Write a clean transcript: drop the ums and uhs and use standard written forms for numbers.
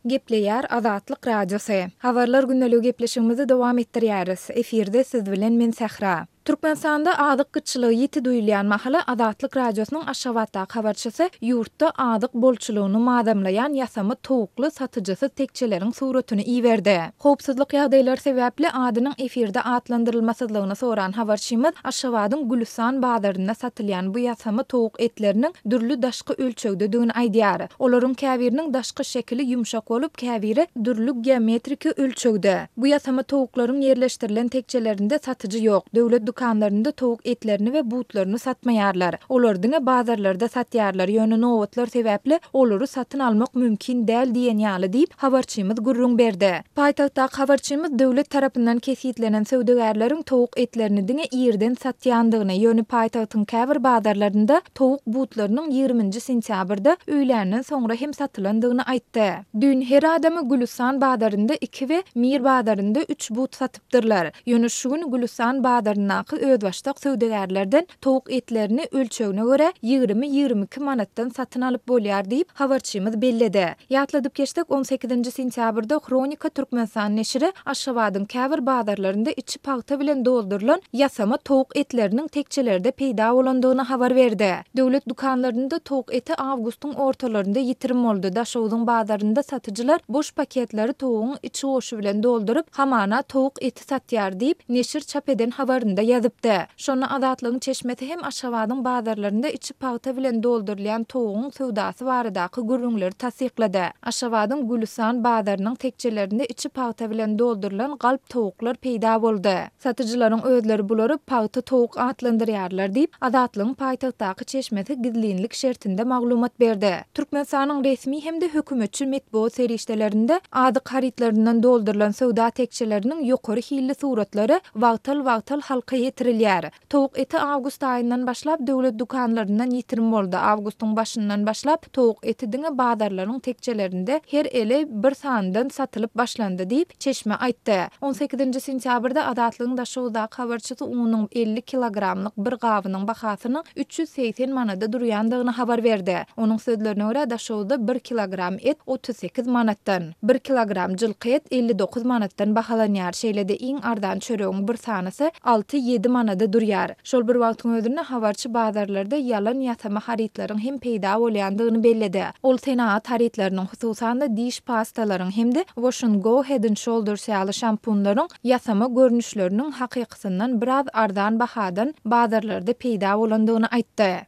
Gepleýär Azatlyk Radiosy. Habarlar gündeligi gepleşigimizi dowam etdirýäris. Efirde siz bilen men Sähra. Türkmenistanda azyk gytçylygy ýiti duýulýan mahaly Azatlyk Radiosynyň Aşgabatdaky habarçysy ýurtda azyk bolçulygyny mazamlaýan ýasama towukly satyjysyz tekjeleriň suratyny iberdi. Howpsuzlyk ýagdaýlary sebäpli adynyň efirde atlandyrylmasyzlygyny soran habarçymyz Aşgabadyň Gülüstan bazarynda satylýan bu ýasama towuk etleriniň dürli daşky ölçegdedigini aýdýar. Olaryň käbiriniň daşky şekili ýumşak bolup, käbiri dürli geometriki ölçegde. Bu ýasama towuklaryň ýerleşdirilen tekjelerinde satyjy ýok. Döwlet dükanlarynda towuk etlerini we butlaryny satmaýarlar. Olary diňe bazarlarda satýarlar, ýöne nobatlar sebäpli olary satyn almak mümkin däl diýen ýaly diýip, habarçymyz gürrüň berdi. Paýtagtdaky habarçymyz döwlet tarapyndan kesgitlenen söwdagärleriň towuk etlerini diňe irden satýandygyny, ýöne paýtagtyň käbir bazarlarynda towuk butlarynyň ýigriminji sentýabrda öýländen soňra hem satylandygyny aýtdy. Düýn her adama Gülüstan bazarynda iki we Mir bazarynda üç but satypdyrlar. Ýöne şu gün Gülüstan bazaryndaky özbaşdak söwdagärlerden towuk etlerini ölçegine görä 20-22 manatdan satyn alyp bolýar diýip, habarçymyz belledi. Ýatladyp geçsek, on sekizinji sentýabrda Hronika Türkmenistan neşiri Aşgabadyň käbir bazarlarynda içi pagta bilen doldurylan ýasama towuk etleriniň tekjelerde peýda bolandygyny habar berdi. Döwlet dükanlarynda towuk eti awgustyň ortalarynda ýitirim boldy. Daşogzuň bazarynda satyjylar boş paketleri towugyň içi goşy bilen dolduryp, hamana towuk eti satýar diýip, neşir çap eden habarynda ýazypdy. Şonda Azatlygyň çeşmesi hem Aşgabadyň bazarlarynda içi pagta bilen doldurylýan towugyň söwdasy baradaky gürrüňleri tassyklady. Aşgabadyň Gülüstan bazarynyň tekjelerinde içi pagta bilen doldurylan galp towuklar peýda boldy. Satyjylaryň özleri bulary pagta towuk atlandyrýarlar diýip, Azatlygyň paýtagtdaky çeşmesi gizlinlik şertinde maglumat berdi. Türkmenistanyň resmi hem-de hökümetçi metbugat serişdelerinde azyk harytlaryndan doldurylan söwda tekjeleriniň ýokary hilli suratlary wagtal-wagtal halka ýetirilýär. Towuk eti awgust aýyndan başlap döwlet dükanlaryndan ýitirim boldy. Awgustyň başyndan başlap towuk eti diňe bazarlaryň tekjelerinde her ele bir sanydan satylyp başlandy diýip, çeşme aýtdy. On sekizinji sentýabrda Azatlygyň Daşoguzdaky habarçysy unuň 50 kilogramlyk bir gabynyň bahasynyň 380 manada durýandygyny habar berdi. Onuň sözlerine görä, Daşoguzda bir kilogram et 38 manatdan, bir kilogram jylky et 59 manatdan bahalanýar, şeýle-de iň arzan çöregiň bir sanysy alty-ýedi manada durýar. Şol bir wagtyň özünde, habarçy bazarlarda ýalan-ýasama harytlaryň hem peýda bolýandygyny belledi. Ol senagat harytlarynyň, hususan-da, diş pastalaryň hem-de Wash and Go, Head and Shoulders ýaly şampunlaryň ýasama görnüşleriniň hakykysyndan biraz arzan bahadan bazarlarda peýda bolandygyny aýtdy.